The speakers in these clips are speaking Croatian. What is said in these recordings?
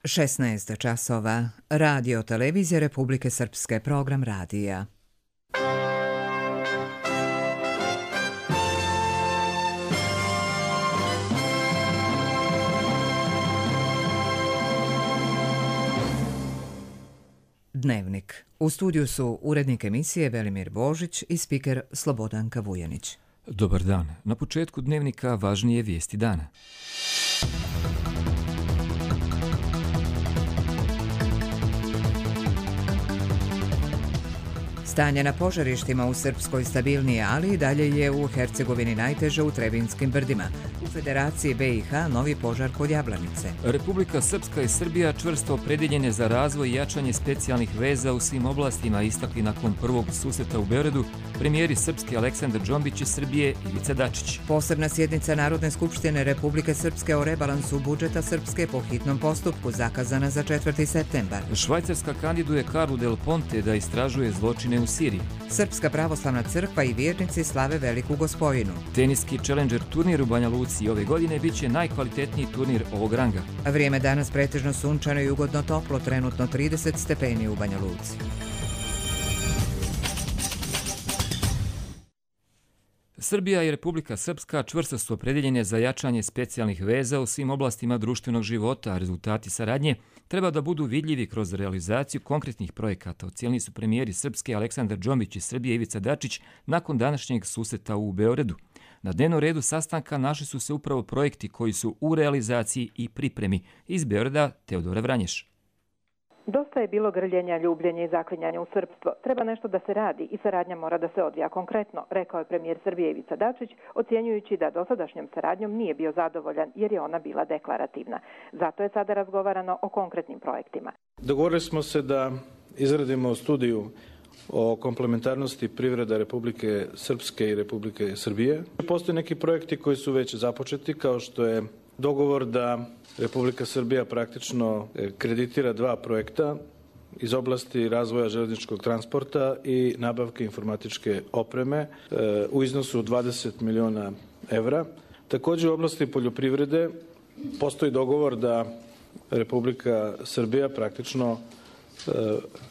16 časova. Radio televizije Republike Srpske, program radija. Dnevnik. U studiju su urednik emisije Velimir Božić i spiker Slobodanka Vujanić. Dobar dan. Na početku dnevnika važnije vijesti dana. Stanje na požarištima u Srpskoj stabilnije, ali i dalje je u Hercegovini najteže u Trebinskim brdima. U Federaciji BiH novi požar kod Jablanice. Republika Srpska i Srbija čvrsto opredjeljene za razvoj i jačanje specijalnih veza u svim oblastima, istakli nakon prvog susreta u Beogradu premijeri Srpske Aleksandar Džombić i Srbije Ivica Dačić. Posebna sjednica Narodne skupštine Republike Srpske o rebalansu budžeta Srpske po hitnom postupku zakazana za 4. septembar. Švajcarska kandiduje Karlu Del Ponte da istražuje zločine u Siriji. Srpska pravoslavna crkva i vjernici slave Veliku Gospojinu. Teniski Challenger turnir u Banja Luci ove godine biće najkvalitetniji turnir ovog ranga. Vrijeme danas pretežno sunčano i ugodno toplo, trenutno 30 stepeni u Banja Luci. Srbija i Republika Srpska čvrsto su opredjeljene za jačanje specijalnih veza u svim oblastima društvenog života, a rezultati saradnje treba da budu vidljivi kroz realizaciju konkretnih projekata, ocijenili su premijeri Srpske Aleksandar Džombić i Srbije Ivica Dačić nakon današnjeg susreta u Beogradu. Na dnevnom redu sastanka našli su se upravo projekti koji su u realizaciji i pripremi. Iz Beograda Teodora Vranješ. Dosta je bilo grljenja, ljubljenja i zaklinjanja u srpstvo. Treba nešto da se radi i saradnja mora da se odvija konkretno, rekao je premijer Srbije Ivica Dačić, ocjenjujući da dosadašnjom saradnjom nije bio zadovoljan jer je ona bila deklarativna. Zato je sada razgovarano o konkretnim projektima. Dogovorili smo se da izradimo studiju o komplementarnosti privreda Republike Srpske i Republike Srbije. Postoje neki projekti koji su već započeti, kao što je dogovor da Republika Srbija praktično kreditira 2 projekta iz oblasti razvoja železničkog transporta i nabavke informatičke opreme u iznosu 20 miliona evra. Također u oblasti poljoprivrede postoji dogovor da Republika Srbija praktično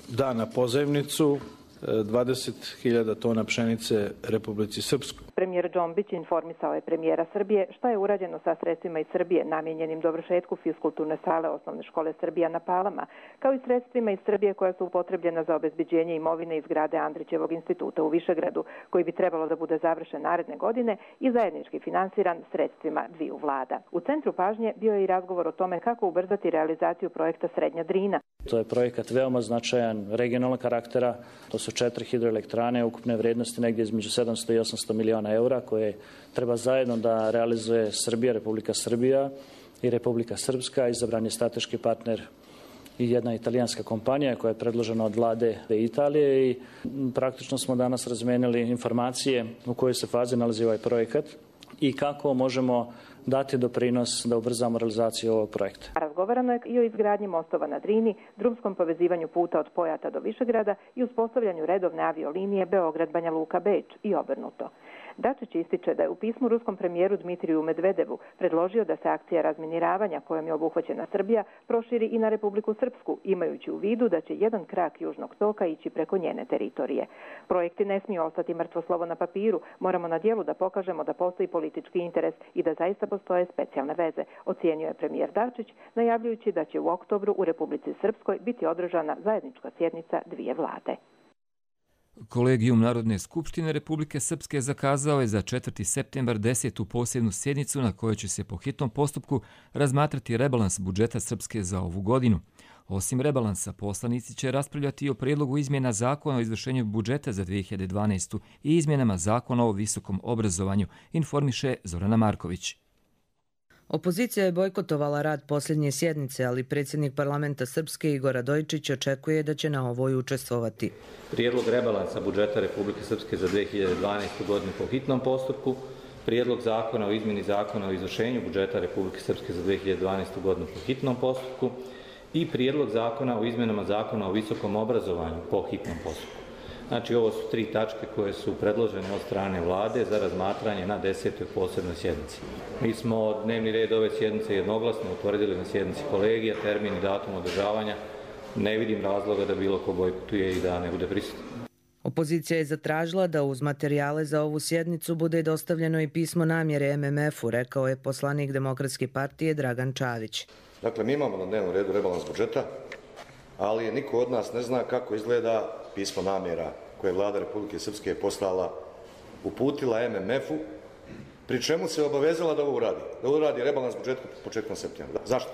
da na pozajmnicu 20.000 tona pšenice Republici Srpskoj. Premijer Džombić informisao je premijera Srbije šta je urađeno sa sredstvima iz Srbije namijenjenim dovršetku fiskulturne sale Osnovne škole Srbija na Palama, kao i sredstvima iz Srbije koja su upotrebljena za obezbeđenje imovine iz zgrade Andrićevog instituta u Višegradu, koji bi trebalo da bude završen naredne godine i zajednički finansiran sredstvima dviju vlada. U centru pažnje bio je i razgovor o tome kako ubrzati realizaciju projekta Srednja Drina. To je projekat veoma značajan regionalnog karaktera. To su 4 hidroelektrane ukupne vrednosti negdje između 700 i 800 miliona eura koje treba zajedno da realizuje Srbija, Republika Srbija i Republika Srpska. Izabran je strateški partner i jedna italijanska kompanija koja je predložena od vlade Italije i praktično smo danas razmenili informacije u kojoj se fazi nalazi ovaj projekat i kako možemo dati doprinos da ubrzamo realizaciju ovog projekta. Razgovarano je i o izgradnji mostova na Drini, drumskom povezivanju puta od Pojata do Višegrada i uspostavljanju redovne aviolinije Beograd-Banja Luka-Beč i obrnuto. Dačić ističe da je u pismu ruskom premijeru Dmitriju Medvedevu predložio da se akcija razminiravanja kojom je obuhvaćena Srbija proširi i na Republiku Srpsku, imajući u vidu da će jedan krak južnog toka ići preko njene teritorije. Projekti ne smiju ostati mrtvo slovo na papiru, moramo na djelu da pokažemo da postoji politički interes i da zaista postoje specijalne veze, ocijenio je premijer Dačić, najavljujući da će u oktobru u Republici Srpskoj biti održana zajednička sjednica dvije vlade. Kolegijum Narodne skupštine Republike Srpske zakazao je za 4. septembar 10. posebnu sjednicu na kojoj će se po hitnom postupku razmatrati rebalans budžeta Srpske za ovu godinu. Osim rebalansa, poslanici će raspravljati i o prijedlogu izmjena zakona o izvršenju budžeta za 2012. i izmjenama zakona o visokom obrazovanju, informiše Zorana Marković. Opozicija je bojkotovala rad posljednje sjednice, ali predsjednik parlamenta Srpske Igor Radojičić očekuje da će na ovoj učestvovati. Prijedlog rebalansa budžeta Republike Srpske za 2012. godinu po hitnom postupku, prijedlog zakona o izmjeni zakona o izvršenju budžeta Republike Srpske za 2012. godinu po hitnom postupku i prijedlog zakona o izmjenama zakona o visokom obrazovanju po hitnom postupku. Znači, ovo su 3 tačke koje su predložene od strane vlade za razmatranje na 10. posebnoj sjednici. Mi smo dnevni red ove sjednice jednoglasno utvrdili na sjednici kolegija, termin i datum održavanja. Ne vidim razloga da bilo ko bojkotuje i da ne bude prisutan. Opozicija je zatražila da uz materijale za ovu sjednicu bude dostavljeno i pismo namjere MMF-u, rekao je poslanik Demokratske partije Dragan Čavić. Dakle, mi imamo na dnevnom redu rebalans budžeta, ali niko od nas ne zna kako izgleda pismo namjera koje je Vlada Republike Srpske poslala, uputila MMF-u, pri čemu se obavezala da ovo uradi. Da uradi rebalans budžeta početkom septembra. Zašto?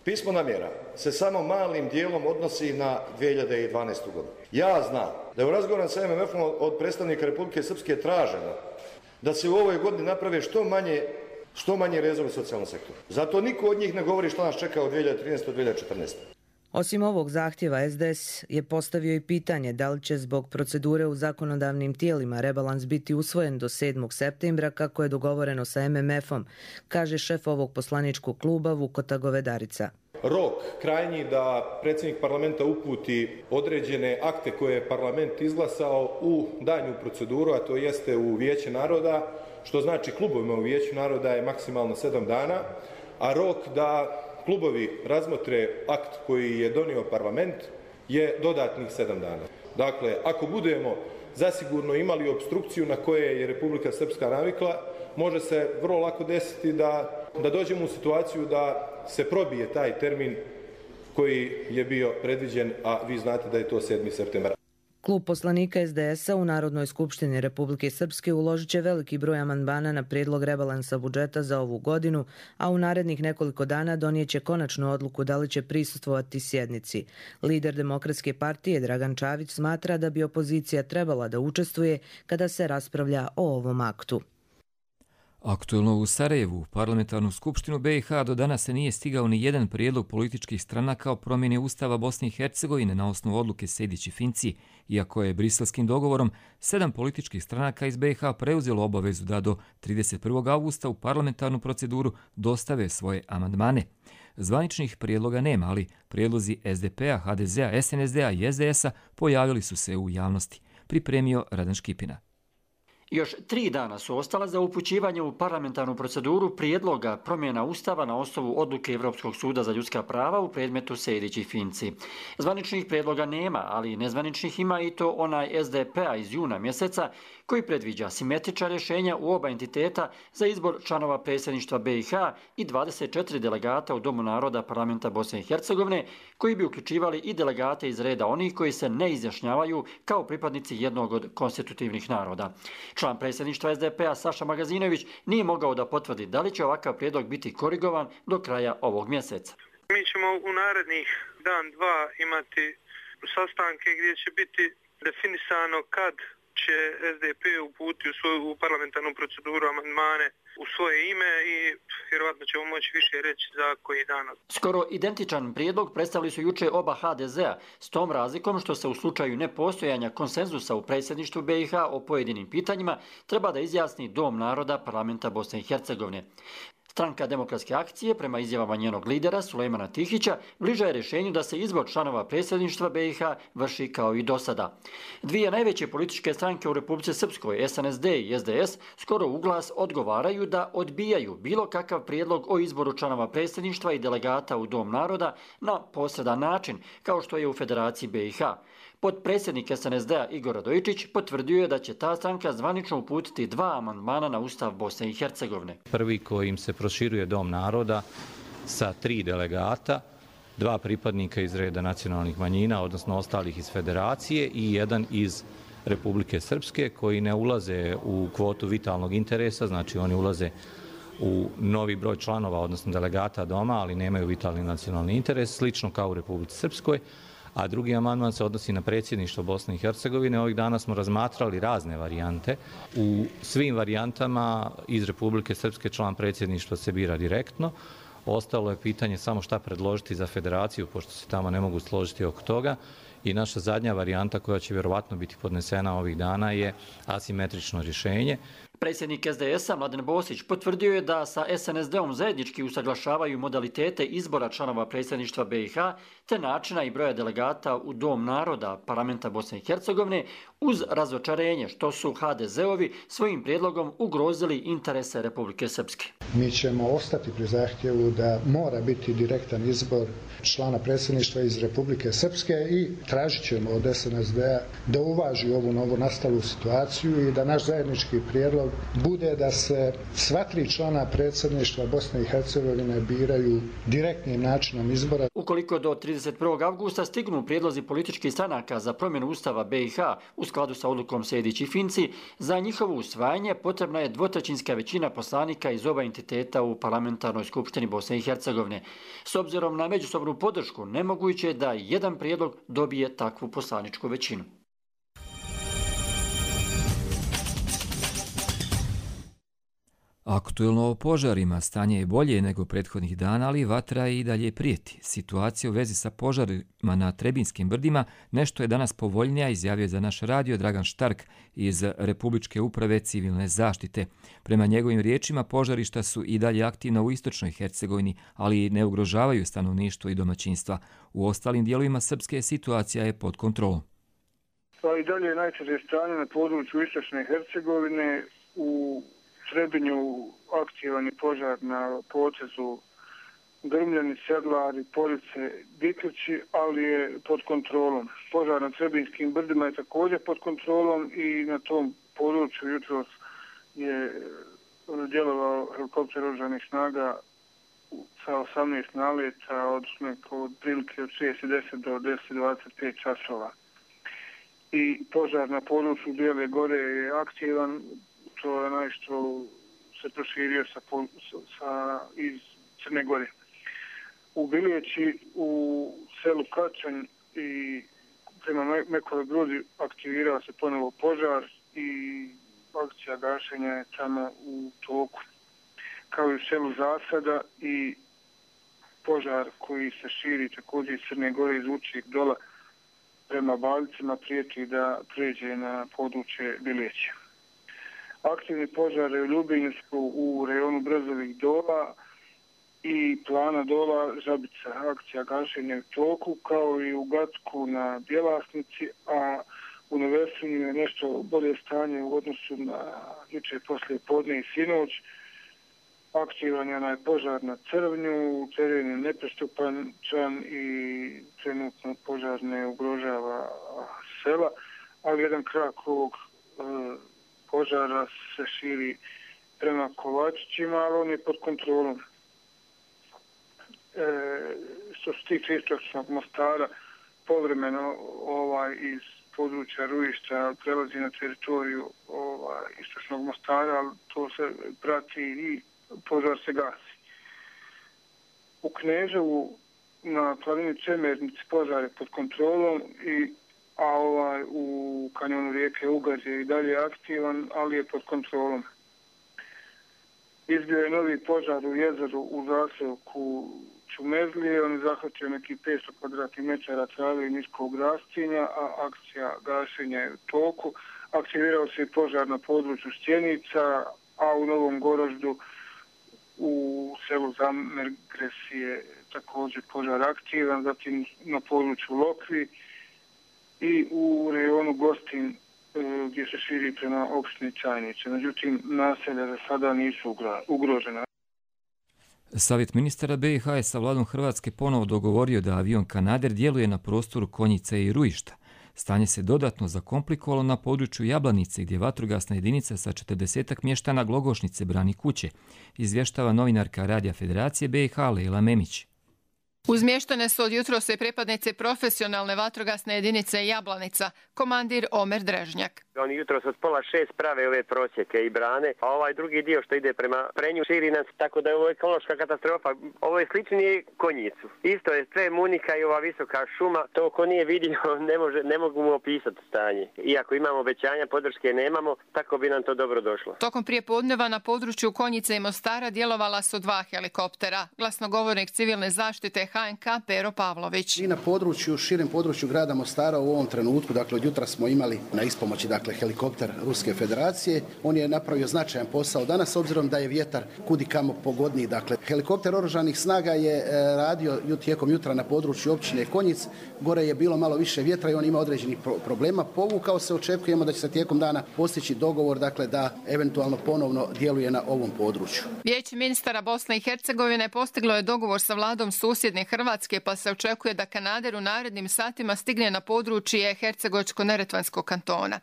Pismo namjera se samo malim dijelom odnosi na 2012. godinu. Ja znam da je u razgovoru sa MMF-om od predstavnika Republike Srpske traženo da se u ovoj godini naprave što manje rezova u socijalnom sektoru. Zato niko od njih ne govori što nas čeka od 2013. do 2014. Osim ovog zahtjeva, SDS je postavio i pitanje da li će zbog procedure u zakonodavnim tijelima rebalans biti usvojen do 7. septembra kako je dogovoreno sa MMF-om, kaže šef ovog poslaničkog kluba Vukota Govedarica. Rok krajnji da predsjednik parlamenta uputi određene akte koje je parlament izglasao u daljnju proceduru, a to jeste u Vijeće naroda, što znači klubovima u Vijeću naroda je maksimalno 7 dana, a rok da klubovi razmotre akt koji je donio parlament je dodatnih 7 dana. Dakle, ako budemo zasigurno imali opstrukciju na koje je Republika Srpska navikla, može se vrlo lako desiti da dođemo u situaciju da se probije taj termin koji je bio predviđen, a vi znate da je to 7. septembar. Klub poslanika SDS-a u Narodnoj skupštini Republike Srpske uložit će veliki broj amandmana na prijedlog rebalansa budžeta za ovu godinu, a u narednih nekoliko dana donijet će konačnu odluku da li će prisustvovati sjednici. Lider Demokratske partije Dragan Čavić smatra da bi opozicija trebala da učestvuje kada se raspravlja o ovom aktu. Aktuelno u Sarajevu, parlamentarnu skupštinu BiH do danas se nije stigao ni jedan prijedlog političkih stranaka o promjeni Ustava Bosne i Hercegovine na osnovu odluke Sejdić-Finci, iako je briselskim dogovorom 7 političkih stranaka iz BiH preuzelo obavezu da do 31. augusta u parlamentarnu proceduru dostave svoje amandmane. Zvaničnih prijedloga nema, ali prijedlozi SDP-a, HDZ-a, SNSD-a i SDS-a pojavili su se u javnosti. Pripremio Radan Škipina. Još 3 dana su ostala za upućivanje u parlamentarnu proceduru prijedloga promjena Ustava na osnovu odluke Evropskog suda za ljudska prava u predmetu Sejdić i Finci. Zvaničnih prijedloga nema, ali nezvaničnih ima i to onaj SDP-a iz juna mjeseca koji predviđa simetrična rješenja u oba entiteta za izbor članova predsjedništva BiH i 24 delegata u Domu naroda parlamenta Bosne i Hercegovine koji bi uključivali i delegate iz reda onih koji se ne izjašnjavaju kao pripadnici jednog od konstitutivnih naroda. Član predsjedništva SDP-a Saša Magazinović nije mogao da potvrdi da li će ovakav prijedlog biti korigovan do kraja ovog mjeseca. Mi ćemo u narednih dan, dva imati sastanke gdje će biti definisano kad će SDP uputiti u parlamentarnu proceduru amandmane u svoje ime i vjerovatno ćemo moći više reći za koji dan. Skoro identičan prijedlog predstavili su juče oba HDZ-a, s tom razlikom što se u slučaju nepostojanja konsenzusa u predsjedništvu BiH o pojedinim pitanjima treba da izjasni Dom naroda parlamenta Bosne i Hercegovine. Stranka Demokratske akcije, prema izjavama njenog lidera Sulejmana Tihića, bliža je rješenju da se izbor članova predsjedništva BiH vrši kao i do sada. Dvije najveće političke stranke u Republici Srpskoj, SNSD i SDS, skoro u glas odgovaraju da odbijaju bilo kakav prijedlog o izboru članova predsjedništva i delegata u Dom naroda na posredan način, kao što je u Federaciji BiH. Potpredsjednik SNSD-a Igor Radojičić potvrdio je da će ta stranka zvanično uputiti 2 amandmana na Ustav Bosne i Hercegovine. Prvi kojim se proširuje Dom naroda sa 3 delegata, 2 pripadnika iz reda nacionalnih manjina, odnosno ostalih iz Federacije i 1 iz Republike Srpske koji ne ulaze u kvotu vitalnog interesa, znači oni ulaze u novi broj članova, odnosno delegata doma, ali nemaju vitalni nacionalni interes, slično kao u Republici Srpskoj. A drugi amandman se odnosi na predsjedništvo Bosne i Hercegovine. Ovih dana smo razmatrali razne varijante. U svim varijantama iz Republike Srpske član predsjedništva se bira direktno. Ostalo je pitanje samo šta predložiti za Federaciju, pošto se tamo ne mogu složiti oko toga. I naša zadnja varijanta koja će vjerovatno biti podnesena ovih dana je asimetrično rješenje. Predsjednik SDS-a Mladen Bosić potvrdio je da sa SNSD-om zajednički usaglašavaju modalitete izbora članova predsjedništva BiH te načina i broja delegata u Dom naroda parlamenta Bosne i Hercegovine uz razočarenje što su HDZ-ovi svojim prijedlogom ugrozili interese Republike Srpske. Mi ćemo ostati pri zahtjevu da mora biti direktan izbor člana predsjedništva iz Republike Srpske i tražit ćemo od SNSD-a da uvaži ovu novonastalu situaciju i da naš zajednički prijedlog bude da se sva 3 člana predsjedništva Bosne i Hercegovine biraju direktnim načinom izbora. Ukoliko do 31. avgusta stignu prijedlozi političkih stranaka za promjenu Ustava BiH u skladu sa odlukom Sejdić i Finci, za njihovo usvajanje potrebna je 2/3 većina poslanika iz oba entiteta u parlamentarnoj skupštini Bosne i Hercegovine. S obzirom na međusobnu podršku, nemoguće je da jedan prijedlog dobije takvu poslaničku većinu. Aktuelno o požarima stanje je bolje nego prethodnih dana, ali vatra i dalje prijeti. Situacija u vezi sa požarima na Trebinskim brdima nešto je danas povoljnija, izjavio je za naš radio Dragan Štark iz Republičke uprave civilne zaštite. Prema njegovim riječima, požarišta su i dalje aktivna u istočnoj Hercegovini, ali ne ugrožavaju stanovništvo i domaćinstva. U ostalim dijelovima Srpske situacija je pod kontrolom. I dalje je najteže stanje na području istočne Hercegovine. U Trebinju aktivan je požar na potezu Grmljani, Sedlari, Police, Biklići, ali je pod kontrolom. Požar na Trebinskim brdima je također pod kontrolom i na tom području jutros je djelovao helikopter oružanih snaga sa 18 naleta od prilike od 6:10 do 10:25 časova. I požar na području Bijele Gore je aktivan. To je nešto se proširio iz Crne Gore. U Biljeći, u selu Kačanj i prema Mekovoj Brudi aktivirao se ponovo požar i akcija gašenja je tamo u toku. Kao i u selu Zasada i požar koji se širi također iz Crne Gore iz Vučijeg dola prema Baljicima prijeti da pređe na područje Biljeća. Aktivni požare u Ljubinju su u rejonu Brzovih dola i Plana dola Žabica. Akcija gašenja u toku, kao i u Gatku na Bjelasnici, a u Nevesinju je nešto bolje stanje u odnosu na jučer poslije podne i sinoć. Aktivan je onaj požar na Crvnju, teren je neprestupačan i trenutno požar ne ugrožava sela, ali jedan krak ovog požara se širi prema Kovačićima, ali on je pod kontrolom. Što se tiče istočnog Mostara, povremeno iz područja Rujišća prelazi na teritoriju istočnog Mostara, ali to se prati i požar se gasi. U Kneževu na planini Čemernici požar je pod kontrolom a u kanjonu rijeke Ugar je i dalje aktivan, ali je pod kontrolom. Izbio je novi požar u jezeru u zaseoku Čumezlije, on je zahvatio neki 500 kvadratnih metara trave i niskog rastinja, a akcija gašenja je u toku. Aktivirao se i požar na području Stjenica, a u Novom Goroždu u selu Zamergres je također požar aktivan, zatim na području Lokvi i u rejonu Gostin gdje se širi prema opštini Čajnice. Međutim, naselja za sada nisu ugrožena. Savjet ministara BiH je sa vladom Hrvatske ponovo dogovorio da avion Kanader djeluje na prostoru Konjice i Rujišta. Stanje se dodatno zakomplikovalo na području Jablanice, gdje vatrogasna jedinica sa 40-ak mještana Glogošnice brani kuće, izvještava novinarka Radija Federacije BiH Lejla Memić. Uzmještene su od jutros i pripadnice profesionalne vatrogasne jedinice Jablanica, komandir Omer Drežnjak. Oni jutros od 5:30 prave ove prosjeke i brane, a ovaj drugi dio što ide prema Prenju širi nas, tako da je ovo ekološka katastrofa. Ovo je sličnije Konjicu. Isto je sve munika i ova visoka šuma, to ko nije vidio ne mogu mu opisati stanje. Iako imamo obećanja, podrške nemamo, tako bi nam to dobro došlo. Tokom prijepodneva na području Konjice i Mostara djelovala su 2 helikoptera. Glasnogovornik civilne zaštite HNK Pero Pavlović. I na području, širem području grada Mostara u ovom trenutku, dakle od jutra smo imali na ispomoći helikopter Ruske federacije. On je napravio značajan posao danas, s obzirom da je vjetar kudikamo pogodniji. Dakle, helikopter oružanih snaga je radio tijekom jutra na području općine Konjic. Gore je bilo malo više vjetra i on ima određenih problema. Povukao se, očekujemo da će se tijekom dana postići dogovor, dakle da eventualno ponovno djeluje na ovom području. Vijeće ministara Bosne i Hercegovine postiglo je dogovor sa vladom susjedne Hrvatske, pa se očekuje da kanader u narednim satima stigne na područje Hercegovačko-neretvanskog kantona.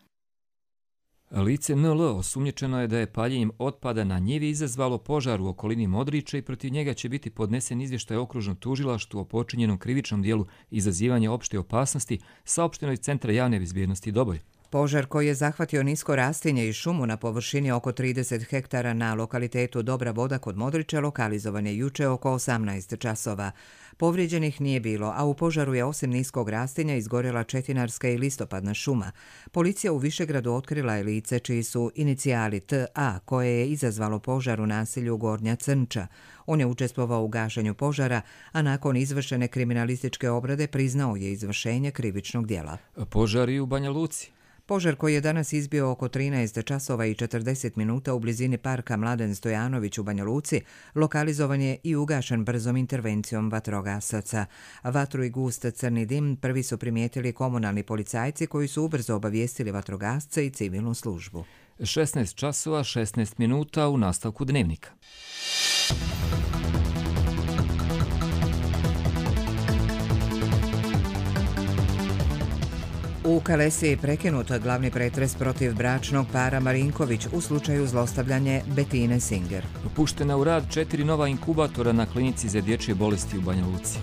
Lice NL osumnjičeno je da je paljenjem otpada na njivi izazvalo požar u okolini Modrića i protiv njega će biti podnesen izvještaj okružnom tužilaštvu o počinjenom krivičnom dijelu izazivanja opšte opasnosti, saopšteno iz Centra javne bezbjednosti Doboj. Požar koji je zahvatio nisko rastinje i šumu na površini oko 30 hektara na lokalitetu Dobra voda kod Modrića lokalizovan je juče oko 18 časova. Povrijeđenih nije bilo, a u požaru je osim niskog rastinja izgorjela četinarska i listopadna šuma. Policija u Višegradu otkrila je lice čiji su inicijali TA, koje je izazvalo požar u naselju Gornja Crnča. On je učestvovao u gašenju požara, a nakon izvršene kriminalističke obrade priznao je izvršenje krivičnog djela. Požar i u Banja Luci. Požar koji je danas izbio oko 13 časova i 40 minuta u blizini parka Mladen Stojanović u Banja Luci, lokalizovan je i ugašen brzom intervencijom vatrogasaca. Vatru i gust crni dim prvi su primijetili komunalni policajci koji su ubrzo obavijestili vatrogasce i civilnu službu. 16 časova 16 minuta u nastavku dnevnika. U Kalesiji je prekinut glavni pretres protiv bračnog para Marinković u slučaju zlostavljanja Betine Singer. Puštena u rad 4 nova inkubatora na klinici za dječje bolesti u Banja Luci.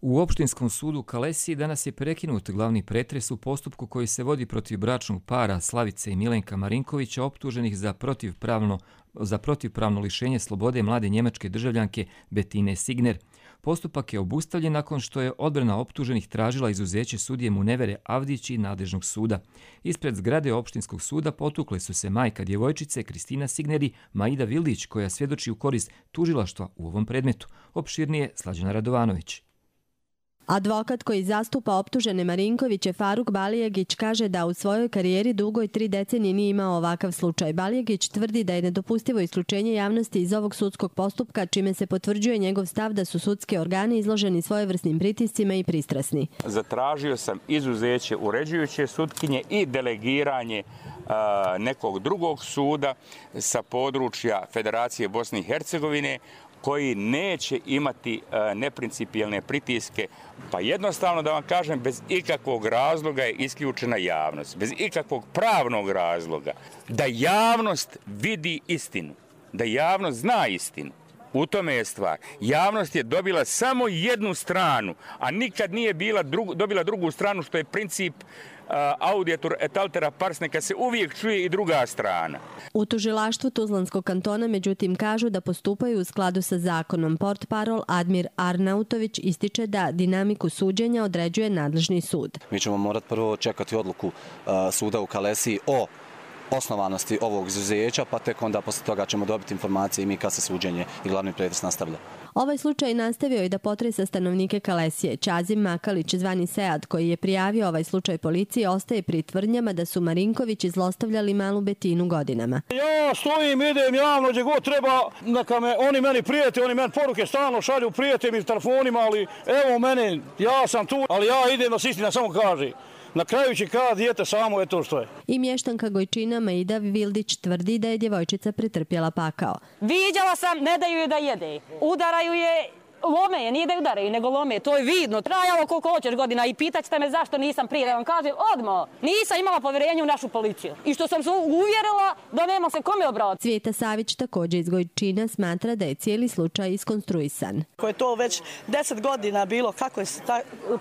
U opštinskom sudu Kalesiji danas je prekinut glavni pretres u postupku koji se vodi protiv bračnog para Slavice i Milenka Marinkovića optuženih za protivpravno lišenje slobode mlade njemačke državljanke Betine Signer. Postupak je obustavljen nakon što je odbrana optuženih tražila izuzeće sudije Munevere Avdić i nadležnog suda. Ispred zgrade opštinskog suda potukle su se majka djevojčice Kristina Signer i Maida Vildić, koja svjedoči u korist tužilaštva u ovom predmetu. Opširnije Slađana Radovanović. Advokat koji zastupa optužene Marinkoviće Faruk Balijegić kaže da u svojoj karijeri dugoj 3 decenije nije imao ovakav slučaj. Balijegić tvrdi da je nedopustivo isključenje javnosti iz ovog sudskog postupka, čime se potvrđuje njegov stav da su sudski organi izloženi svojevrsnim pritiscima i pristrasni. Zatražio sam izuzeće uređujuće sudkinje i delegiranje nekog drugog suda sa područja Federacije Bosne i Hercegovine, koji neće imati neprincipijelne pritiske, pa jednostavno da vam kažem, bez ikakvog razloga je isključena javnost, bez ikakvog pravnog razloga, da javnost vidi istinu, da javnost zna istinu. U tome je stvar. Javnost je dobila samo jednu stranu, a nikad nije dobila drugu stranu, što je princip audiatur et altera pars, neka se uvijek čuje i druga strana. U tužilaštvu Tuzlanskog kantona međutim kažu da postupaju u skladu sa zakonom. Portparol Admir Arnautović ističe da dinamiku suđenja određuje nadležni sud. Mi ćemo morati prvo čekati odluku suda u Kalesiji o osnovanosti ovog izuzeća, pa tek onda posle toga ćemo dobiti informacije i mi kad se suđenje i glavni pretres nastavlja. Ovaj slučaj nastavio i da potresa stanovnike Kalesije. Ćazim Makalić, zvani Sead, koji je prijavio ovaj slučaj policiji, ostaje pri tvrdnjama da su Marinkovići zlostavljali malu Betinu godinama. Ja stojim, idem javno gdje god treba, neka me oni meni prijete, oni meni poruke stalno šalju, prijete mi telefonima, ali evo mene, ja sam tu, ali ja idem da se istina samo kaže. Na kraju će kada dijete samo je to što je. I mještanka Gojčina Maida Vildić tvrdi da je djevojčica pretrpjela pakao. Viđala sam, ne daju je da jede. Udaraju je, lome je, nije da je udaraju, nego lome. To je vidno. Trajalo koliko hoćeš godina i pitat ćete me zašto nisam prije. Da vam kažem, odmah, nisam imala povjerenje u našu policiju. I što sam se uvjerila da nema se kome obratiti. Cvijeta Savić, također iz Gojčina, smatra da je cijeli slučaj iskonstruisan. Ako je to već 10 godina bilo, kako je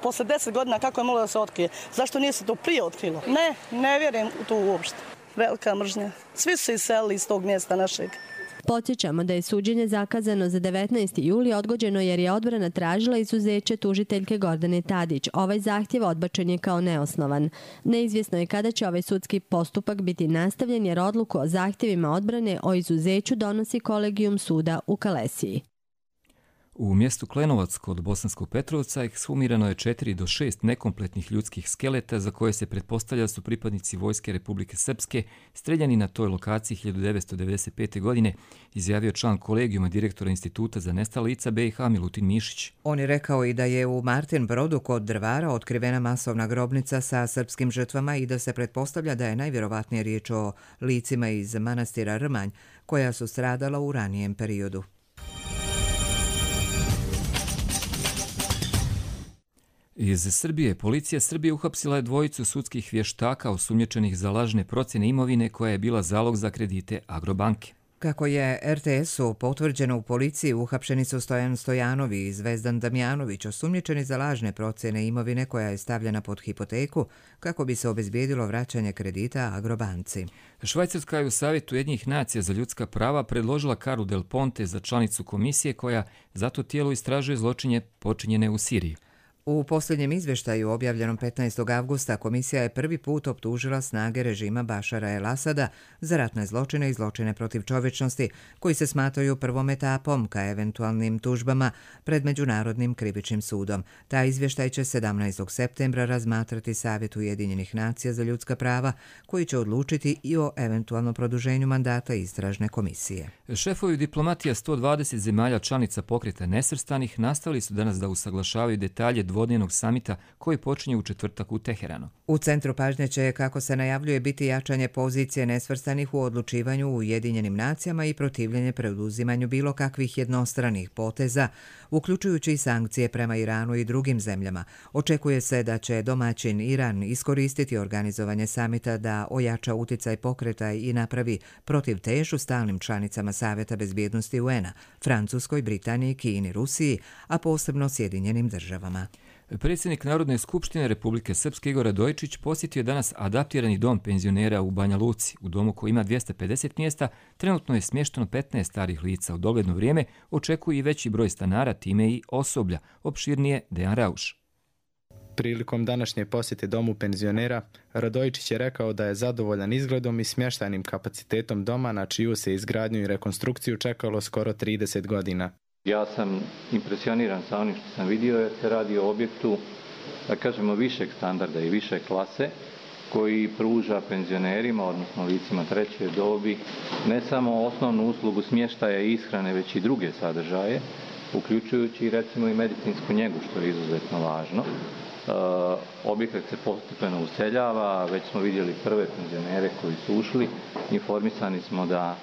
posle 10 godina kako je moglo da se otkrije? Zašto nije se to prije otkrilo? Ne vjerujem u to uopšte. Velika mržnja. Svi su se iselili iz tog mjesta našeg. Podsjećamo da je suđenje zakazano za 19. juli odgođeno jer je odbrana tražila izuzeće tužiteljke Gordane Tadić. Ovaj zahtjev odbačen je kao neosnovan. Neizvjesno je kada će ovaj sudski postupak biti nastavljen jer odluku o zahtjevima odbrane o izuzeću donosi kolegijum suda u Kalesiji. U mjestu Klenovac kod Bosanskog Petrovca ekshumirano je 4 do 6 nekompletnih ljudskih skeleta za koje se pretpostavlja su pripadnici Vojske Republike Srpske streljani na toj lokaciji 1995. godine, izjavio član kolegijuma direktora Instituta za nestala lica BiH Milutin Mišić. On je rekao i da je u Martin Brodu kod Drvara otkrivena masovna grobnica sa srpskim žrtvama i da se pretpostavlja da je najvjerovatnije riječ o licima iz manastira Rmanj koja su stradala u ranijem periodu. Iz Srbije, policija Srbije uhapsila je dvojicu sudskih vještaka osumnjičenih za lažne procjene imovine koja je bila zalog za kredite Agrobanke. Kako je RTS-u potvrđeno u policiji, uhapšeni su Stojan Stojanovi i Zvezdan Damjanović, osumnjičeni za lažne procjene imovine koja je stavljena pod hipoteku kako bi se obezbijedilo vraćanje kredita Agrobanci. Švajcarska je u Savjetu Ujedinjenih nacija za ljudska prava predložila Karu Del Ponte za članicu komisije koja za to tijelo istražuje zločine počinjene u Siriji. U posljednjem izvještaju objavljenom 15. avgusta komisija je prvi put optužila snage režima Bašara el-Asada za ratne zločine i zločine protiv čovječnosti koji se smatraju prvom etapom ka eventualnim tužbama pred Međunarodnim krivičnim sudom. Taj izvještaj će 17. septembra razmatrati Savjet Ujedinjenih nacija za ljudska prava koji će odlučiti i o eventualnom produženju mandata istražne komisije. Šefovi diplomatija 120 zemalja članica Pokreta nesvrstanih nastavili su danas da usaglašavaju detalje dvodnevnog samita koji počinje u četvrtak u Teheranu. U centru pažnje će, kako se najavljuje, biti jačanje pozicije nesvrstanih u odlučivanju u Ujedinjenim nacijama i protivljenje preuzimanju bilo kakvih jednostranih poteza, uključujući i sankcije prema Iranu i drugim zemljama. Očekuje se da će domaćin Iran iskoristiti organizovanje samita da ojača uticaj pokreta i napravi protivtežu stalnim članicama Savjeta bezbjednosti UN-a, Francuskoj, Britaniji, Kini, Rusiji, a posebno Sjedinjenim državama. Predsjednik Narodne skupštine Republike Srpske Igor Radojičić posjetio je danas adaptirani dom penzionera u Banja Luci. U domu koji ima 250 mjesta trenutno je smješteno 15 starih lica. U dogledno vrijeme očekuje i veći broj stanara, time i osoblja. Opširnije Dejan Rauš. Prilikom današnje posjete domu penzionera, Radojičić je rekao da je zadovoljan izgledom i smještajnim kapacitetom doma na čiju se izgradnju i rekonstrukciju čekalo skoro 30 godina. Ja sam impresioniran sa onim što sam vidio jer se radi o objektu, da kažemo, višeg standarda i više klase koji pruža penzionerima, odnosno licima treće dobi, ne samo osnovnu uslugu smještaja i ishrane, već i druge sadržaje, uključujući recimo i medicinsku njegu, što je izuzetno važno. Objekat se postepeno useljava, već smo vidjeli prve penzionere koji su ušli, informisani smo da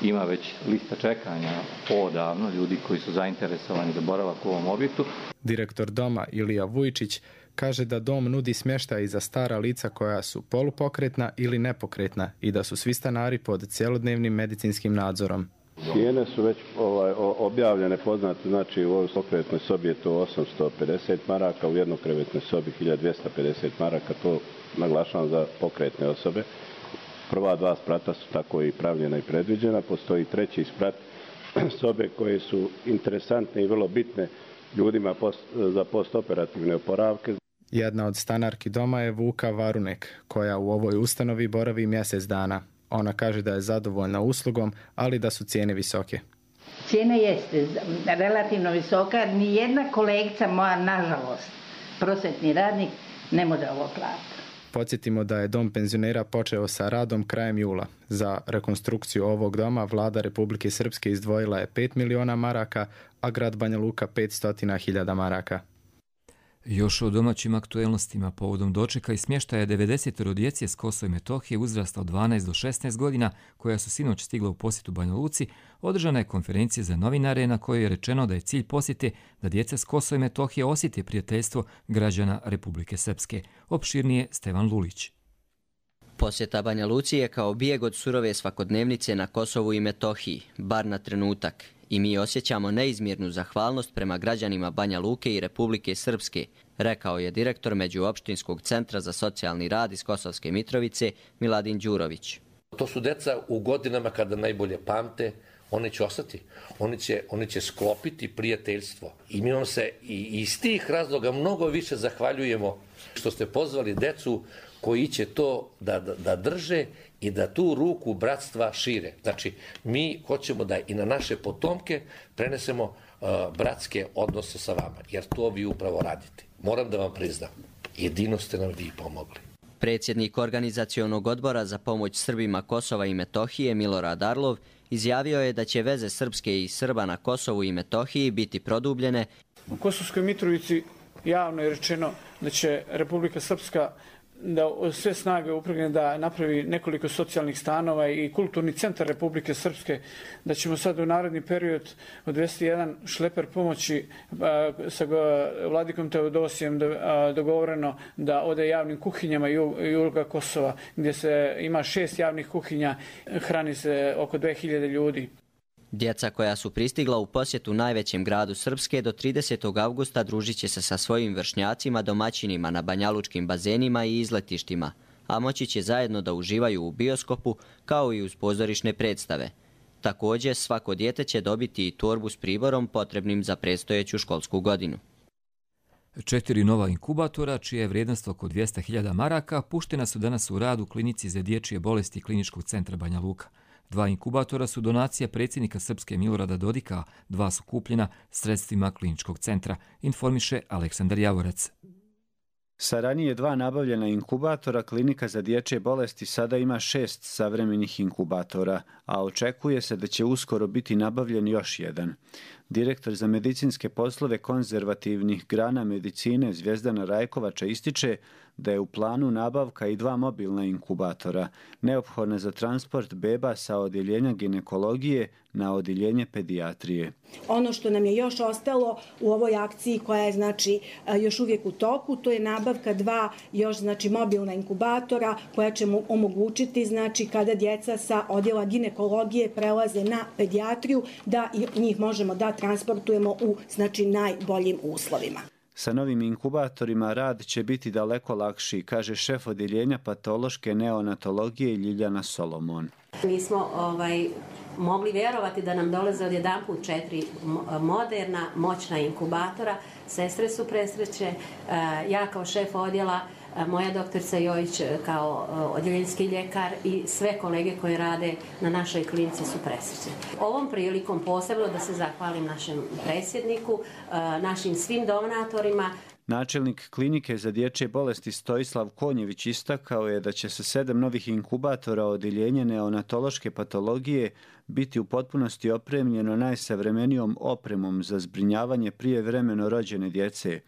ima već lista čekanja odavno, ljudi koji su zainteresovani za boravak u ovom objektu. Direktor doma Ilija Vujčić kaže da dom nudi smještaj i za stara lica koja su polupokretna ili nepokretna i da su svi stanari pod cjelodnevnim medicinskim nadzorom. Cijene su već objavljene, poznate, znači u ovoj pokretnoj sobi je to 850 maraka, u jednokrevetnoj sobi 1250 maraka, to naglašavam za pokretne osobe. Prva dva sprata su tako i pravljena i predviđena. Postoji treći sprat, sobe koje su interesantne i vrlo bitne ljudima za postoperativne oporavke. Jedna od stanarki doma je Vuka Varunek, koja u ovoj ustanovi boravi mjesec dana. Ona kaže da je zadovoljna uslugom, ali da su cijene visoke. Cijena jeste relativno visoka. Nijedna kolegica moja, nažalost, prosvetni radnik, ne može ovo platiti. Podsjetimo da je dom penzionera počeo sa radom krajem jula. Za rekonstrukciju ovog doma vlada Republike Srpske izdvojila je 5 miliona maraka, a grad Banja Luka 500.000 maraka. Još o domaćim aktuelnostima povodom dočeka i smještaja 90 djece s Kosova i Metohije uzrasta od 12 do 16 godina koja su sinoć stigla u posjetu Banja Luci, održana je konferencija za novinare na kojoj je rečeno da je cilj posjete da djeca s Kosova i Metohije osjete prijateljstvo građana Republike Srpske. Opširnije Stevan Lulić. Posjeta Banja Luci je kao bijeg od surove svakodnevnice na Kosovu i Metohiji, bar na trenutak. I mi osjećamo neizmjernu zahvalnost prema građanima Banja Luke i Republike Srpske, rekao je direktor Međuopštinskog centra za socijalni rad iz Kosovske Mitrovice Miladin Đurović. To su deca u godinama kada najbolje pamte, oni će ostati. Oni će sklopiti prijateljstvo. I mi vam se i iz tih razloga mnogo više zahvaljujemo što ste pozvali decu koji će to da drže i da tu ruku bratstva šire. Znači, mi hoćemo da i na naše potomke prenesemo bratske odnose sa vama, jer to vi upravo radite. Moram da vam priznam, jedino ste nam vi pomogli. Predsjednik Organizacionog odbora za pomoć Srbima Kosova i Metohije Milorad Arlov izjavio je da će veze Srpske i Srba na Kosovu i Metohiji biti produbljene. U Kosovskoj Mitrovici javno je rečeno da će Republika Srpska da sve snage upregne da napravi nekoliko socijalnih stanova i kulturni centar Republike Srpske, da ćemo sad u naredni period odvesti jedan šleper pomoći sa vladikom Teodosijem dogovoreno da ode javnim kuhinjama juga Kosova, gdje se ima 6 javnih kuhinja, hrani se oko 2000 ljudi. Djeca koja su pristigla u posjetu najvećem gradu Srpske do 30. avgusta družit će se sa svojim vršnjacima domaćinima na banjalučkim bazenima i izletištima, a moći će zajedno da uživaju u bioskopu kao i uz pozorišne predstave. Također, svako dijete će dobiti i torbu s priborom potrebnim za predstojeću školsku godinu. 4 nova inkubatora, čija je vrijednost oko 200.000 maraka, puštena su danas u rad u klinici za dječje bolesti Kliničkog centra Banja Luka. 2 inkubatora su donacija predsjednika Srpske Milorada Dodika, 2 su kupljena sredstvima Kliničkog centra, informiše Aleksandar Javorac. Sa ranije 2 nabavljena inkubatora, klinika za dječje bolesti sada ima 6 savremenih inkubatora, a očekuje se da će uskoro biti nabavljen još jedan. Direktor za medicinske poslove konzervativnih grana medicine Zvjezdana Rajkovača ističe da je u planu nabavka i 2 mobilna inkubatora, neophodna za transport beba sa odjeljenja ginekologije na odjeljenje pedijatrije. Ono što nam je još ostalo u ovoj akciji koja je još uvijek u toku, to je nabavka 2 još mobilna inkubatora koja će mu omogućiti kada djeca sa odjela ginekologije prelaze na pedijatriju da njih možemo da transportujemo u najboljim uslovima. Sa novim inkubatorima rad će biti daleko lakši, kaže šef odjeljenja patološke neonatologije Ljiljana Solomon. Mi smo mogli vjerovati da nam dolaze odjedanput 4 moderna, moćna inkubatora. Sestre su presreće, ja kao šef odjela, moja doktorica Jojić kao odjeljenski ljekar i sve kolege koji rade na našoj klinici su presrećni. Ovom prilikom posebno da se zahvalim našem predsjedniku, našim svim donatorima. Načelnik klinike za dječje bolesti Stojislav Konjević istakao je da će se 7 novih inkubatora odjeljenja neonatološke patologije biti u potpunosti opremljeno najsavremenijom opremom za zbrinjavanje prijevremeno rođene djece,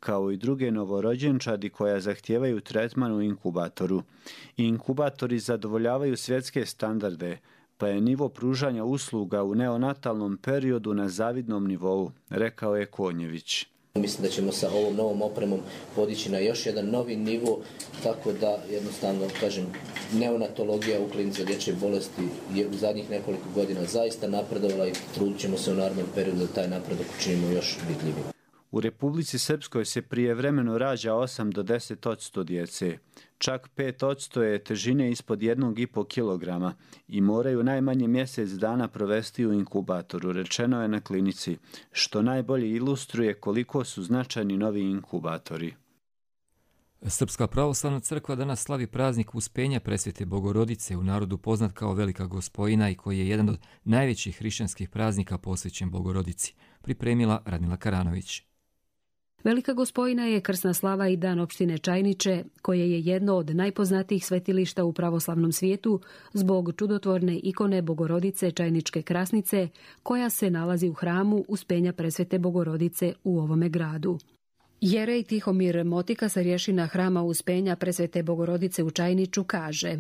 kao i druge novorođenčadi koja zahtijevaju tretman u inkubatoru. Inkubatori zadovoljavaju svjetske standarde, pa je nivo pružanja usluga u neonatalnom periodu na zavidnom nivou, rekao je Konjević. Mislim da ćemo sa ovom novom opremom podići na još jedan novi nivo, tako da jednostavno, neonatologija u klinici za dječje bolesti je u zadnjih nekoliko godina zaista napredovala i trudit ćemo se u narednom periodu da taj napredak učinimo još vidljivim. U Republici Srpskoj se prijevremeno rađa 8 do 10% djece. Čak 5% je težine ispod 1,5 kilograma i moraju najmanje mjesec dana provesti u inkubatoru, rečeno je na klinici, što najbolje ilustruje koliko su značajni novi inkubatori. Srpska pravoslavna crkva danas slavi praznik Uspenja Presvete Bogorodice, u narodu poznat kao Velika Gospojina i koji je jedan od najvećih hrišćanskih praznika posvećen Bogorodici, pripremila Radmila Karanović. Velika Gospojina je krsna slava i dan opštine Čajniče, koje je jedno od najpoznatijih svetilišta u pravoslavnom svijetu zbog čudotvorne ikone Bogorodice Čajničke Krasnice, koja se nalazi u hramu Uspenja Presvete Bogorodice u ovome gradu. Jerej Tihomir Motika sa rješina hrama Uspenja Presvete Bogorodice u Čajniču kaže: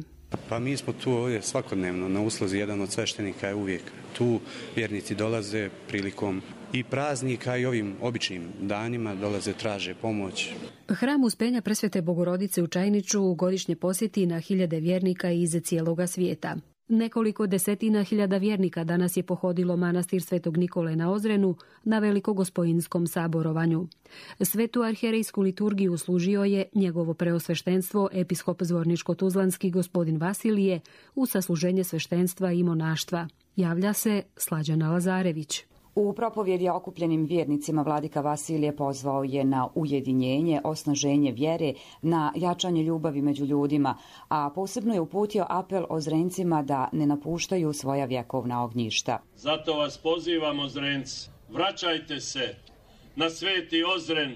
Pa mi smo tu ovdje svakodnevno na usluzi, jedan od sveštenika je uvijek tu, vjernici dolaze prilikom i praznika i ovim običnim danima, dolaze, traže pomoć. Hram Uspenja Presvete Bogorodice u Čajniču godišnje posjeti na hiljade vjernika iz cijeloga svijeta. Nekoliko desetina hiljada vjernika danas je pohodilo manastir Svetog Nikole na Ozrenu na Velikogospojinskom saborovanju. Svetu arhijerejsku liturgiju služio je njegovo preosveštenstvo episkop Zvorničko-Tuzlanski gospodin Vasilije u sasluženje sveštenstva i monaštva. Javlja se Slađana Lazarević. U propovjedi okupljenim vjernicima vladika Vasilije pozvao je na ujedinjenje, osnaženje vjere, na jačanje ljubavi među ljudima, a posebno je uputio apel Ozrencima da ne napuštaju svoja vjekovna ognjišta. Zato vas pozivam, Ozrenci, vraćajte se na sveti Ozren,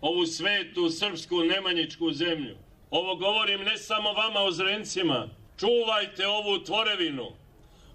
ovu svetu srpsku nemanjičku zemlju. Ovo govorim ne samo vama, Ozrencima, čuvajte ovu tvorevinu,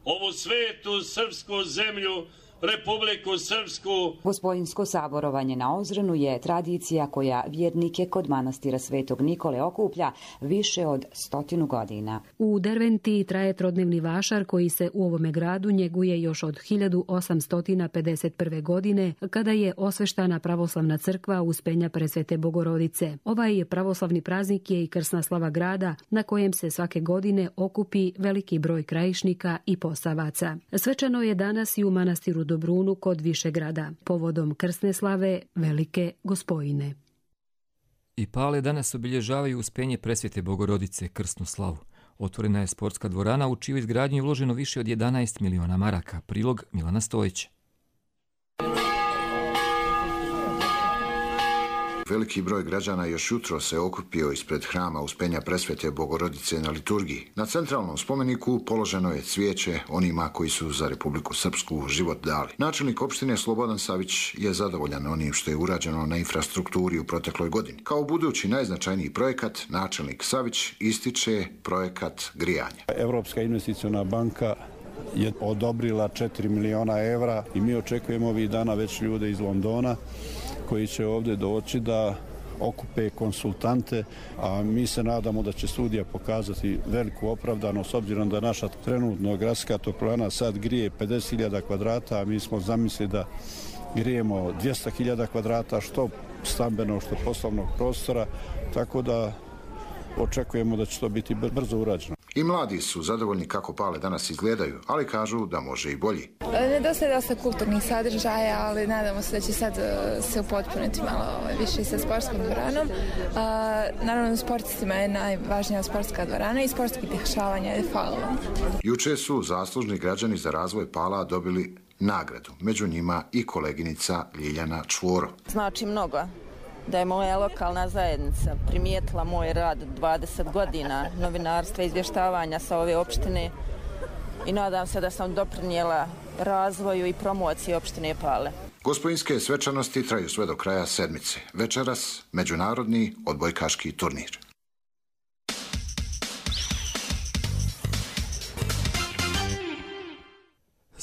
ovu svetu srpsku zemlju, Republiku Srpsku. Gospodinsko saborovanje na Ozrenu je tradicija koja vjernike kod manastira Svetog Nikole okuplja više od 100 godina. U Derventi traje trodnevni vašar koji se u ovome gradu njeguje još od 1851. godine, kada je osveštana pravoslavna crkva Uspenja Presvete Bogorodice. Ovaj pravoslavni praznik je i krsna slava grada, na kojem se svake godine okupi veliki broj krajišnika i posavaca. Svečano je danas i u manastiru Dobrunu kod Višegrada, povodom krsne slave Velike Gospojine. I Pale danas obilježavaju Uspenje Presvete Bogorodice, krsnu slavu. Otvorena je sportska dvorana u čiju izgradnju je uloženo više od 11 miliona maraka. Prilog Milana Stojića. Veliki broj građana još jutro se okupio ispred hrama Uspenja Presvete Bogorodice na liturgiji. Na centralnom spomeniku položeno je cvijeće onima koji su za Republiku Srpsku život dali. Načelnik opštine Slobodan Savić je zadovoljan onim što je urađeno na infrastrukturi u protekloj godini. Kao budući najznačajniji projekat, načelnik Savić ističe projekat grijanja. Evropska investiciona banka je odobrila 4 miliona evra i mi očekujemo ovih dana već ljude iz Londona koji će ovdje doći da okupe konsultante, a mi se nadamo da će studija pokazati veliku opravdanost s obzirom da naša trenutno gradska toplana sad grije 50.000 kvadrata, a mi smo zamislili da grijemo 200.000 kvadrata, što stambenog, što poslovnog prostora, tako da očekujemo da će to biti brzo urađeno. I mladi su zadovoljni kako Pale danas izgledaju, ali kažu da može i bolji. Nedostaje dosta kulturnih sadržaja, ali nadamo se da će sad se upotpuniti malo više sa sportskom dvoranom. Naravno, sportistima je najvažnija sportska dvorana i sportskih dešavanja je falilo. Juče su zaslužni građani za razvoj Pala dobili nagradu, među njima i koleginica Ljiljana Čvoro. Znači mnogo da je moja lokalna zajednica primijetila moj rad 20 godina novinarstva i izvještavanja sa ove opštine i nadam se da sam doprinijela razvoju i promociji opštine Pale. Gospojinske svečanosti traju sve do kraja sedmice. Večeras međunarodni odbojkaški turnir.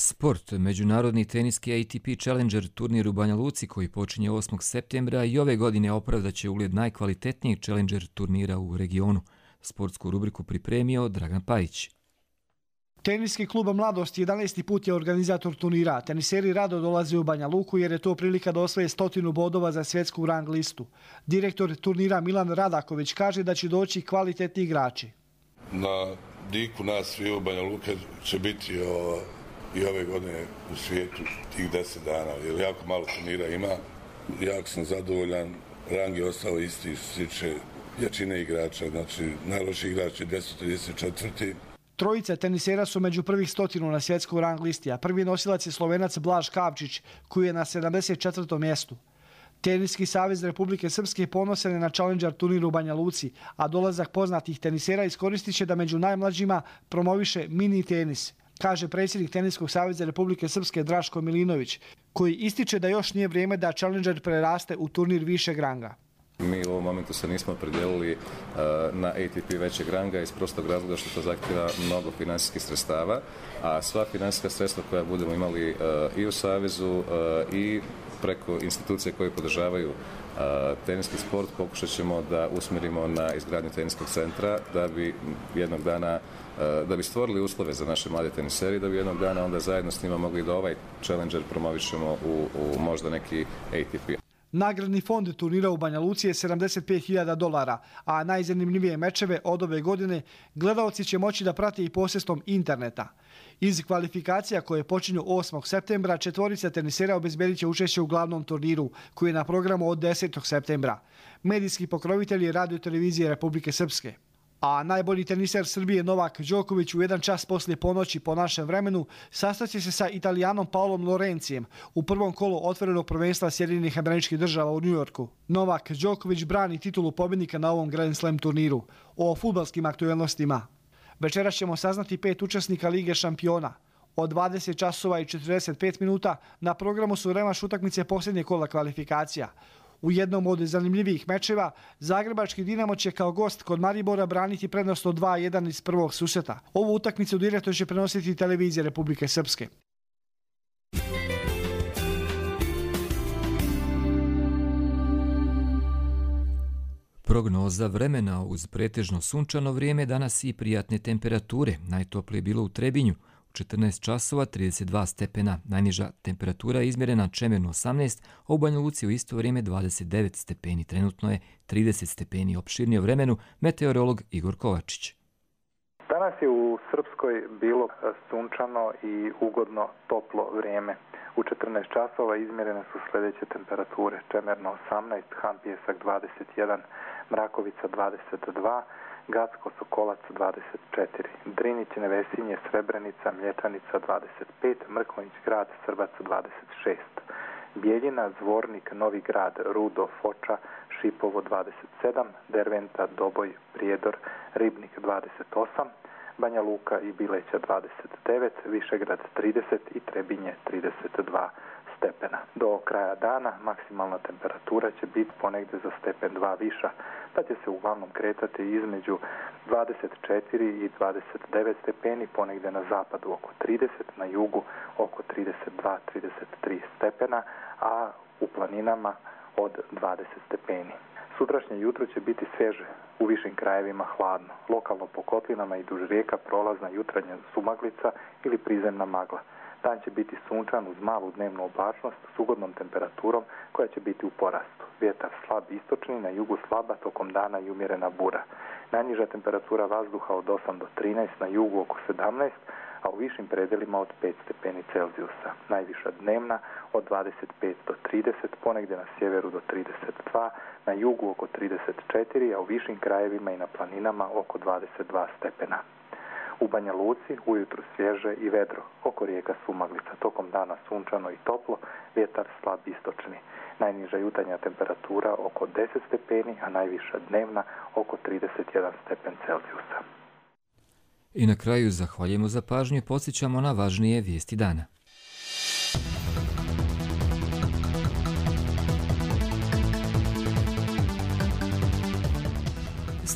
Sport. Međunarodni teniski ATP Challenger turnir u Banja Luci koji počinje 8. septembra i ove godine opravdaće ugled najkvalitetnijeg Challenger turnira u regionu. Sportsku rubriku pripremio Dragan Pajić. Teniski klub Mladost 11. put je organizator turnira. Teniseri rado dolaze u Banja Luku jer je to prilika da osvoje 100 bodova za svjetsku rang listu. Direktor turnira Milan Radaković kaže da će doći kvalitetni igrači. Na diku nas svi u Banja Luka će biti i ove godine u svijetu tih 10 dana, jer jako malo turnira ima. Jako sam zadovoljan, rang je ostao isti što se tiče jačine igrača, znači najlošiji igrač je 234. Trojica tenisera su među prvih 100 na svjetskoj rang listi, a prvi nosilac je Slovenac Blaž Kavčić, koji je na 74. mjestu. Teniski savez Republike Srpske ponosan je na Challenger turnir u Banja Luci, a dolazak poznatih tenisera iskoristit će da među najmlađima promoviše mini tenis, kaže predsjednik Teniskog saveza Republike Srpske Draško Milinović, koji ističe da još nije vrijeme da Challenger preraste u turnir višeg ranga. Mi u ovom momentu se nismo opredijelili na ATP većeg ranga iz prostog razloga što to zahtjeva mnogo finansijskih sredstava, a sva finansijska sredstva koja budemo imali i u Savezu i preko institucije koje podržavaju teniski sport pokušat ćemo da usmjerimo na izgradnju teniskog centra da bi jednog dana da bi stvorili uslove za naše mlade teniseri, da bi jednog dana onda zajedno s njima mogli da ovaj Challenger promovišemo u možda neki ATP. Nagradni fond turnira u Banja Luci je $75.000, a najzanimljivije mečeve od ove godine gledaoci će moći da prate i posredstvom interneta. Iz kvalifikacija koje počinju 8. septembra, četvorica tenisera obezbedit će učešće u glavnom turniru, koji je na programu od 10. septembra. Medijski pokrovitelj je Radio televizije Republike Srpske. A najbolji teniser Srbije Novak Đoković u 1 čas poslije ponoći po našem vremenu sastaće se sa Italijanom Paolom Lorencijem u prvom kolu otvorenog prvenstva Sjedinjenih Američkih Država u Njujorku. Novak Đoković brani titulu pobjednika na ovom Grand Slam turniru. O fudbalskim aktuelnostima. Večeras ćemo saznati 5 učesnika Lige šampiona. Od 20 časova i 45 minuta na programu su revanš utakmice posljednje kola kvalifikacija. U jednom od zanimljivijih mečeva Zagrebački Dinamo će kao gost kod Maribora braniti prednost od 2-1 iz prvog susreta. Ovu utakmicu direktno će prenositi televizija Republike Srpske. Prognoza vremena uz pretežno sunčano vrijeme, danas i prijatne temperature. Najtoplije bilo u Trebinju. 14 časova 32 stepena. Najniža temperatura je izmjerena Čemernu 18, a u Banja Luci u isto vrijeme 29 stepeni. Trenutno je 30 stepeni. Opširnije o vremenu meteorolog Igor Kovačić. Danas je u Srpskoj bilo sunčano i ugodno toplo vrijeme. U 14 časova izmjerene su sljedeće temperature. Čemerno 18, Han Pijesak 21, Mrakovica 22, Gacko Sokolac 24, Drinić, Nevesinje, Srebrenica, Mlječanica 25, Mrkonjić Grad, Srbac 26, Bijeljina, Zvornik, Novi Grad, Rudo, Foča, Šipovo 27, Derventa, Doboj, Prijedor, Ribnik 28, Banja Luka i Bileća 29, Višegrad 30 i Trebinje 32 stepena. Do kraja dana maksimalna temperatura će biti ponegdje za stepen 2 viša, pa će se uglavnom kretati između 24 i 29 stepeni, ponegdje na zapadu oko 30, na jugu oko 32-33 stepena, a u planinama od 20 stepeni. Sutrašnje jutro će biti svježe, u višim krajevima hladno. Lokalno po kotlinama i duž rijeka prolazna jutranja sumaglica ili prizemna magla. Dan će biti sunčan uz malu dnevnu oblačnost s ugodnom temperaturom koja će biti u porastu. Vjetar slab istočni, na jugu slaba, tokom dana i umjerena bura. Najniža temperatura vazduha od 8 do 13, na jugu oko 17, a u višim predelima od 5 stepeni Celzijusa. Najviša dnevna od 25 do 30, ponegdje na sjeveru do 32, na jugu oko 34, a u višim krajevima i na planinama oko 22 stepena. U Banja Luci ujutru svježe i vedro, oko rijeka sumaglica, tokom dana sunčano i toplo, vjetar slab istočni. Najniža jutarnja temperatura oko 10 stepeni, a najviša dnevna oko 31 stepen Celzijusa. I na kraju zahvaljujemo za pažnju i podsjećamo na važnije vijesti dana.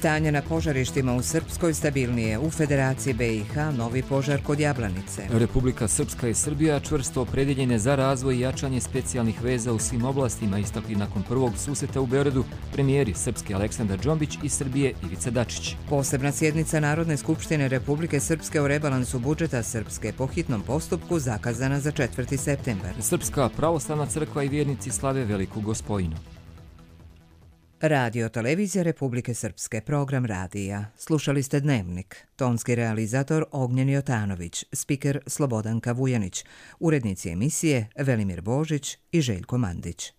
Stanje na požarištima u Srpskoj stabilnije. U Federaciji BiH novi požar kod Jablanice. Republika Srpska i Srbija čvrsto opredjeljene za razvoj i jačanje specijalnih veza u svim oblastima, istakli nakon prvog susreta u Beogradu premijeri Srpske Aleksandar Džombić i Srbije Ivica Dačić. Posebna sjednica Narodne skupštine Republike Srpske o rebalansu budžeta Srpske po hitnom postupku zakazana za 4. septembar. Srpska pravoslavna crkva i vjernici slave Veliku Gospojinu. Radio Televizija Republike Srpske, program radija. Slušali ste Dnevnik. Tonski realizator Ognjen Jotanović, spiker Slobodanka Vujanić, urednici emisije Velimir Božić i Željko Mandić.